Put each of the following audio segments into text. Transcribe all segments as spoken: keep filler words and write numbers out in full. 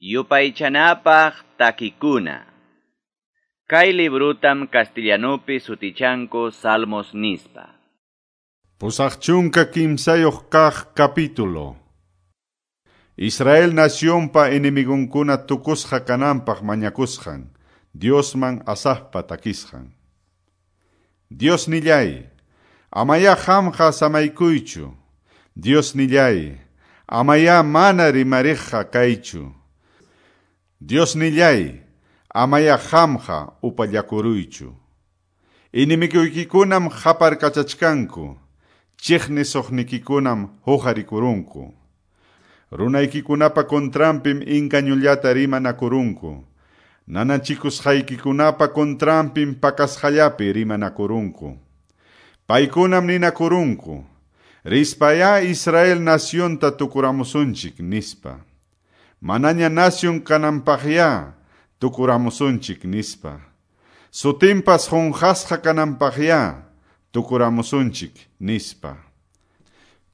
Yupaychanapaq takikuna. Kay librutam castellanupi sutichanku Salmos nispa. Pusaq chunka kimsayuq kaq capítulo. Israel nacionpa enemigunkuna tukusqa kananpaq mañakusqan, Diosman Asafpa takisqan. Dios nillay, amaya qamqa samaykuychu. Dios nillay, amaya mana rimariqqa kaychu. Dios nillay, amaya qamqa upallakuruychu. Enemiguykikunam qaparkachachkanku, chiqnisuqnikikunam huqarikurunku. Runaykikunapa contranpim inkañullata rimanakurunku. Nanachikusqaykikunapa contranpim pakasqallapi rimanakurunku. Paykunam ninakurunku, rispaya Israel nacionta tukuramusunchik nispa. Manaña nación kananpaqya tukuramusunchik nispa. Sutinpas qunqasqa kananpaqya tukuramusunchik nispa.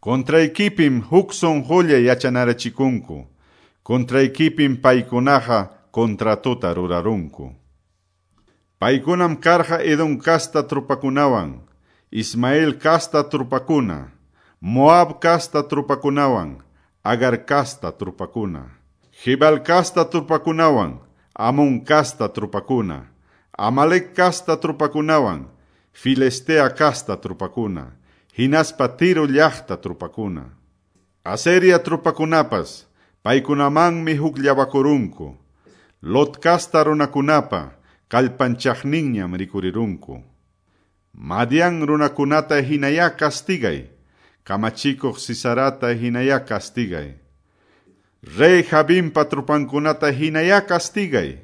Contraykipim huk sunqulla yachanarachikunku. Contraykipim paykunaqa contratota rurarunku. Paykunam karqa Edom casta trupakunawan, Ismael casta trupakuna, Moab casta trupakunawan, Agar casta trupakuna, Jibal casta trupakunawan, Amón casta trupakuna, Amalek casta trupakunawan, Filistea casta trupakuna, hinaspa Tiro llaqta trupakuna. Aseria trupakunapas, paykunamanmi hukllawakurunku. Lot casta runakunapa, kallpanchaqninñam rikurirunku. Madian runakunata hinaya castigay, kamachikuq Sisarata hinaya castigay. Rey Jabinpa trupankunata hinaya castigay.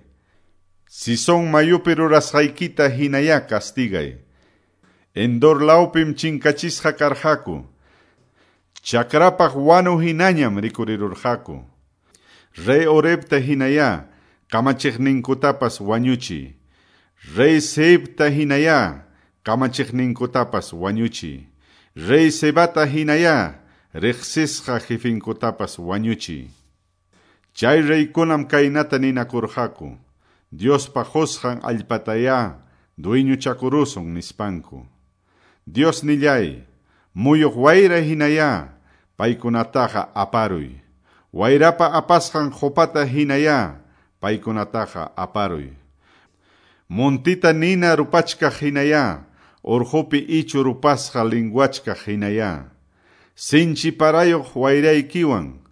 Sison mayupi rurasqaykita hinaya castigay. Endor lawpim chinkachisqa karqaku. Chakrapaq wanu hinañam rikurirurqaku. Rey Orebta hinaya kamachiqninkutapas wañuchi. Rey Seibta hinaya kamachiqninkutapas wañuchi. Rey Sebata hinaya riqsisqa jefinkutapas wañuchi. Chay reykunam kaynata ninakurqaku. Diospa qusqan allpataya dueñochakurusun nispanku. Dios nillay, muyuq wayra hinaya, paykunataqa aparuy. Wayrapa apasqan qupata hinaya, paykunataqa aparuy. Montita nina rupachkaq hinaya, urqupi ichu rupasqa linguachkaq hinaya. Sinchi parayuq wayraykiwan,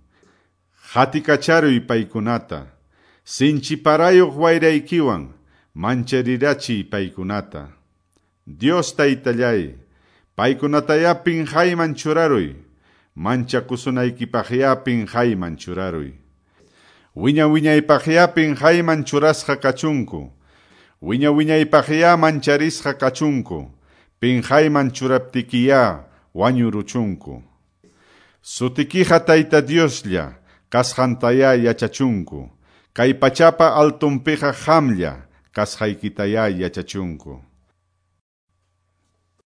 qatikacharuy paykunata. Sinchi parayuq wayraykiwan, mancharirachiy paykunata. Dios taytallay, paykunataya pinqayman churaruy, manchakusunaykipaqya pinqayman churaruy. Wiña wiñaypaqya pinqayman churasqa kachunku, wiña wiñaypaqya mancharisqa kachunku, pinqayman churaptikiya wañuruchunku. Sutikiqa Tayta Dioslla, kasqantaya yachachunku, kay pachapa altunpiqa qamlla, kasqaykitaya yachachunku.